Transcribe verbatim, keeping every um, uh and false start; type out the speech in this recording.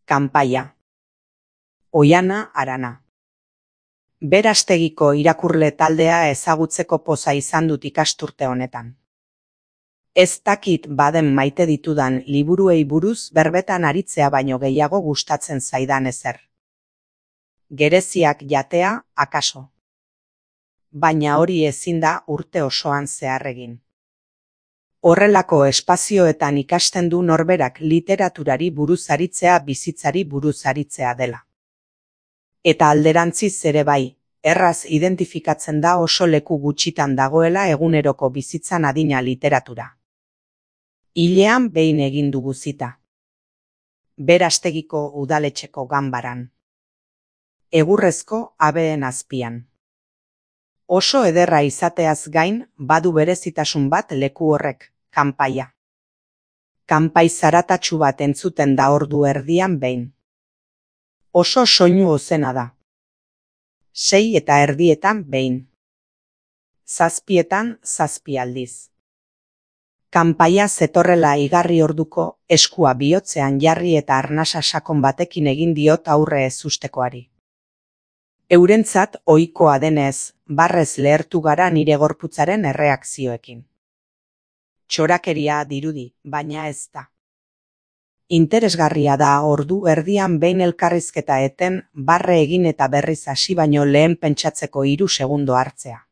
Kanpaia. Oihana Arana. Berastegiko irakurle taldea ezagutzeko poza izan dut ikasturte honetan. Ez dakit baden maite ditudan liburuei buruz berbetan aritzea baino gehiago gustatzen zaidan ezer. Gereziak jatea, akaso. Baina hori ezin da urte osoan zehar egin. Horrelako espazioetan ikasten du norberak literaturari buruz aritzea bizitzari buruz aritzea dela. Eta alderantziz ere bai, erraz identifikatzen da oso leku gutxitan dagoela eguneroko bizitzan adina literatura. Hilean behin egin dugu zita. Berastegiko udaletxeko ganbaran. Egurrezko habeen azpian. Oso ederra izateaz gain, badu berezitasun bat leku horrek, kanpaia. Kanpai zaratatsu bat entzuten da ordu erdian behin. Oso soinu ozena da. Sei eta erdietan behin. Zazpietan zazpi aldiz. Kanpaia zetorrela igarri orduko, eskua bihotzean jarri eta arnasa sakon batekin egin diot aurre ezustekoari. Eurentzat ohikoa denez, barrez lehertu gara nire gorputzaren erreakzioekin. Txorakeria dirudi, baina ez da. Interesgarria da ordu erdian behin elkarrizketa eten, barre egin eta berriz hasi baino lehen pentsatzeko hiru segundo hartzea.